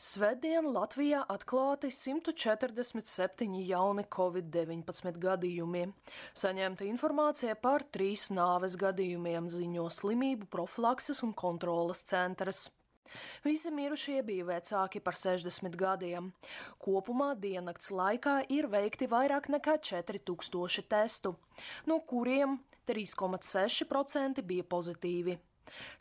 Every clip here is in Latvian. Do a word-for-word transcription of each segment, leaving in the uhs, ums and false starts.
Svētdien Latvijā atklāti simt četrdesmit septiņi jauni covid deviņpadsmit gadījumi. Saņemta informācija par trīs nāves gadījumiem, ziņo Slimību profilakses un kontroles centrs. Visi mirušie bija vecāki par sešdesmit gadiem. Kopumā diennakts laikā ir veikti vairāk nekā četri tūkstoši testu, no kuriem trīs komats seši procenti bija pozitīvi.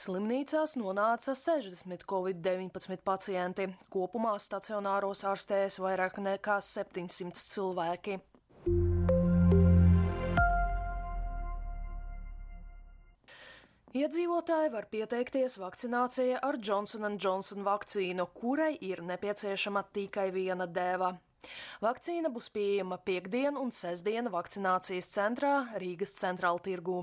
Slimnīcās nonāca sešdesmit covid deviņpadsmit pacienti, kopumā stacionāros ārstējas vairāk nekā septiņsimt cilvēki. Iedzīvotāji var pieteikties vakcinācijai ar Johnson and Johnson vakcīnu, kurai ir nepieciešama tikai viena dēva. Vakcīna būs pieejama piektdien un sestdien vakcinācijas centrā Rīgas Centrāla tirgū.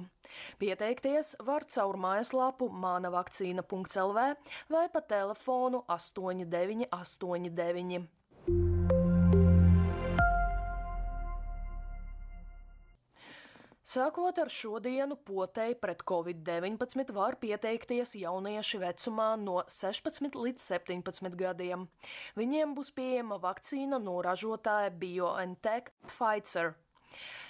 Pieteikties var caur mājaslapu mana vakcīna punkts el vē vai pa telefonu astoņi deviņi astoņi deviņi. Sākot ar šodienu potei pret covid deviņpadsmit var pieteikties jaunieši vecumā no sešpadsmit līdz septiņpadsmit gadiem. Viņiem būs pieejama vakcīna no ražotāja BioNTech Pfizer.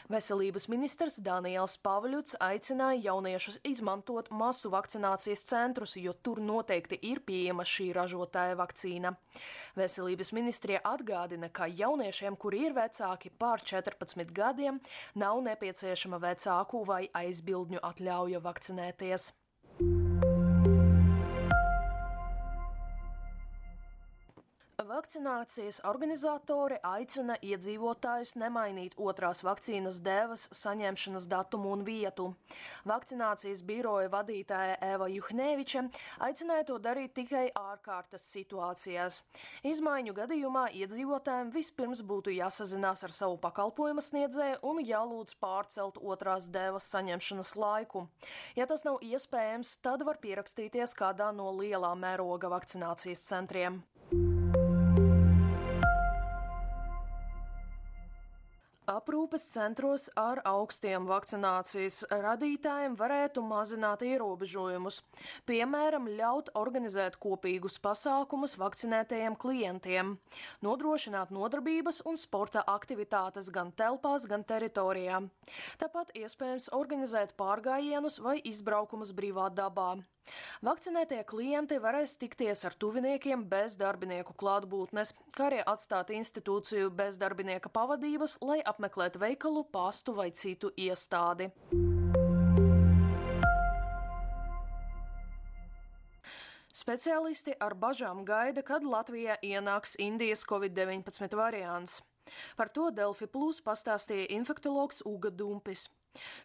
Veselības ministrs Daniels Pavļuts aicināja jauniešus izmantot masu vakcinācijas centrus, jo tur noteikti ir pieejama šī ražotāja vakcīna. Veselības ministrija atgādina, ka jauniešiem, kuri ir vecāki pār četrpadsmit gadiem, nav nepieciešama vecāku vai aizbildņu atļauja vakcinēties. Vakcinācijas organizatori aicina iedzīvotājus nemainīt otrās vakcīnas dēvas saņemšanas datumu un vietu. Vakcinācijas biroja vadītāja Eva Juhneviča aicināja to darīt tikai ārkārtas situācijās. Izmaiņu gadījumā iedzīvotājiem vispirms būtu jāsazinās ar savu pakalpojuma sniedzēju un jālūdz pārcelt otrās dēvas saņemšanas laiku. Ja tas nav iespējams, tad var pierakstīties kādā no lielā mēroga vakcinācijas centriem. Aprūpes centros ar augstiem vakcinācijas radītājiem varētu mazināt ierobežojumus, piemēram, ļaut organizēt kopīgus pasākumus vakcinētajiem klientiem, nodrošināt nodarbības un sporta aktivitātes gan telpās, gan teritorijā. Tāpat iespējams organizēt pārgājienus vai izbraukumus brīvā dabā. Vakcinētie klienti varēs tikties ar tuviniekiem bez darbinieku klātbūtnes, kā arī atstāt institūciju bez darbinieka pavadības, lai apmeklētu veikalu, pastu vai citu iestādi. Speciālisti ar bažām gaida, kad Latvijā ienāks Indijas covid deviņpadsmit variants. Par to Delfi Plus pastāstīja infektologs Uga Dumpis.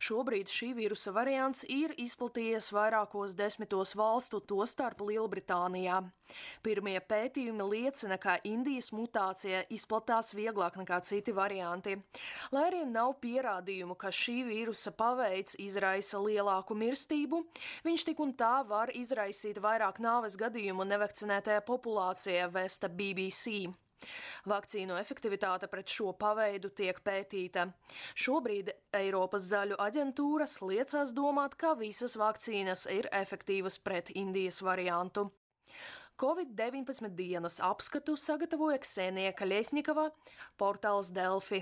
Šobrīd šī vīrusa variants ir izplatījies vairākos desmitos valstu, tostarp Lielbritānijā. Pirmie pētījumi liecina, ka Indijas mutācija izplatās vieglāk nekā citi varianti. Lai arī nav pierādījumu, ka šī vīrusa paveids izraisa lielāku mirstību, viņš tik un tā var izraisīt vairāk nāves gadījumu nevakcinētajā populācijā, vēsta B B C. Vakcīnu efektivitāte pret šo paveidu tiek pētīta. Šobrīd Eiropas zaļu aģentūras liecās domāt, ka visas vakcīnas ir efektīvas pret Indijas variantu. covid deviņpadsmit dienas apskatu sagatavoja Ksenija Kaļesņikova, portāls Delfi.